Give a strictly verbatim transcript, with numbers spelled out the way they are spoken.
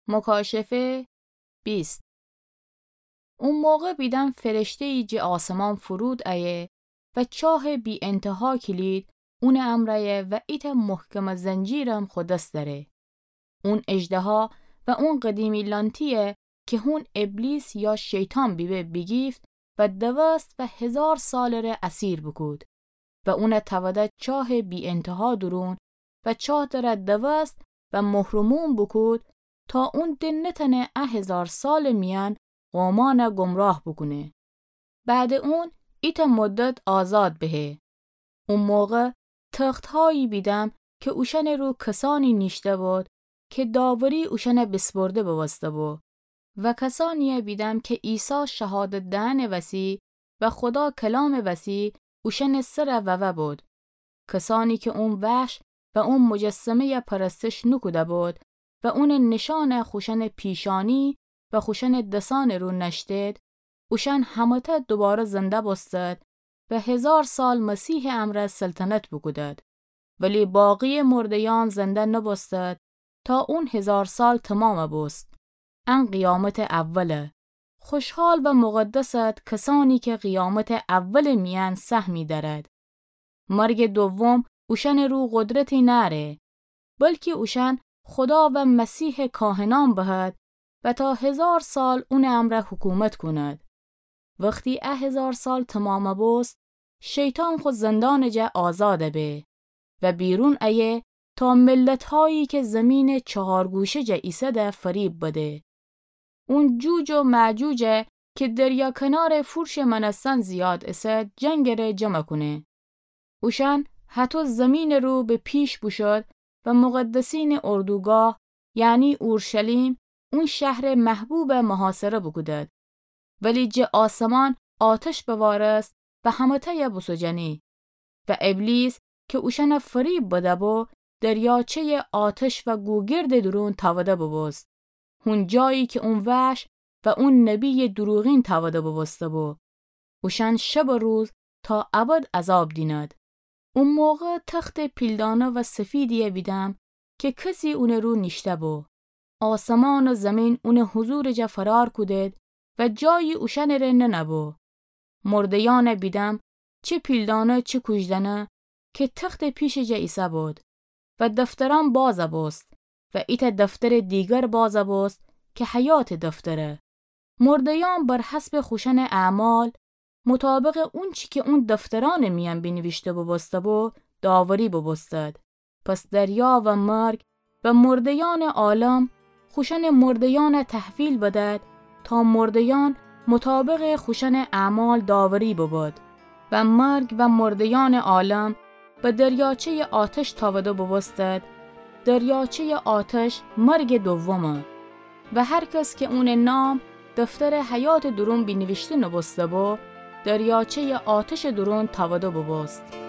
مکاشفه بیست. او موقع بیدم فرشته‌یی جٚه آسمان فرود ایه و چاهٚ بی‌انتها کلید اونٚ امرأیه و ایتأ محکمٚ زنجیرم خو دس دأره. اون اژدها و اون قدیمی لأنتی‌یه کی هون ابلیس یا شیطان بیبه بیگیفت و دوست و هیزار سالٚ ره اسیر بوکود و اونَ تأوده چاهٚ بی‌انتها دورون و چاه تره دوست و مهرموم بوکود تا اون د نتأنه ا هیزار سالٚ میأن قومأنَ گمراه بوکونه. بعدٚ اون ایتأ مدت آزاد بهه. او موقع تخت‌هایی بیدم کی اوشأنٚ رو کسانی نیشته بود کی داوری اوشأنَ بیسپرده بوبوسته‌بو و کسانی‌یه بیدم کی عیسی شهادت دئنٚ وسی و خودا کلامٚ وسی اوشأنٚ سرَ ووه بود. کسانی کی اون وحش و اون مجسمه‌یَ پرستش نوکوده بود و اونٚ نیشأنَ خوشأنٚ پیشانی و خوشأنٚ دسأنٚ رو نأشتید، اوشأن همه‌تأ دوباره زنده بوستد و هیزار سال مسیحٚ امرأ سلطنت بوکودد. ولی باقی‌یٚ مرده‌یأن زنده نوبوستد تا اون هیزار سال تومامَ بوست. ان قیامتٚ اوله. خوشحال و مقدسد کسانی کی قیامتٚ اولٚ میأن سهمی دأرد. مرگٚ دوم اوشأنٚ رو قدرتی نأره، بلکی اوشأن خودا و مسیحٚ کاهنأن بهد و تا هیزار سال اونٚ امرأ حکومت کونید. وختی ا هیزار سال تومامَ بوست، شیطان خو زندانٚ جا آزادَ به و بیرون ایه تا ملت‌هایی کی زیمینٚ چهار گوشه جا ایسده فریب بده. اون جوج و مأجوجَ کی دریا کنارٚ فرشٚ مأنستن زیاد ایسد جنگٚ ره جمع کونه. اوشأن هطو زیمینٚ رو به پیش بوشود و مقدسینٚ اردوگاه، یعنی اورشلیم، اون شهرٚ محبوبَ محاصره بوکودد. ولی جٚه آسمان آتش بوارست و همه‌تأیَ بوسوجأنی. و ابلیس کی اوشأنَ فریب بده‌بو، دریاچه‌یٚ آتش و گوگردٚ دورون تأوده بوبوست. هون جایی کی اون وحش و اون نبی‌یٚ دروغین تأوده بوبوسته‌بو. اوشأن شب و روز تا ابد عذاب دینید. او موقع تختٚ پیلدانه و سفیدی‌یَ بیدم کی کسی اونٚ رو نیشته‌بو. آسمان و زیمین اونٚ حضورٚ جا فرار کودید و جایی اوشأنٚ ره ننه‌بو. مرده‌یأنَ بیدم، چه پیلدانه چه کوژدنه، کی تختٚ پیشٚ جا ایسه‌بود و دفترأن بازَ بوست و ایتأ دفترٚ دیگر بازَ بوست کی حیاتٚ دفتره. مرده‌یأن بر حسبٚ خوشأنٚ اعمال، مطابقٚ اونچی کی اون دفترأنٚ میأن بینیویشته بوبوسته‌بو، داوری بوبوستد. پس دریا و مرگ و مرده‌یأنٚ عالم خوشأنٚ مرده‌یأنَ تحویل بدد تا مرده‌یأن مطابقٚ خوشأنٚ اعمال داوری ببد. و مرگ و مرده‌یأنٚ عالم به دریاچه‌یٚ آتش تأوده بوبوستد. دریاچه‌یٚ آتش مرگٚ دومه. و هر کس کی اونٚ نام دفترٚ حیاتٚ دورون بینیویشته نوبوسته‌بو، دریاچه‌یٚ آتشٚ دورون تأوده بوبوست.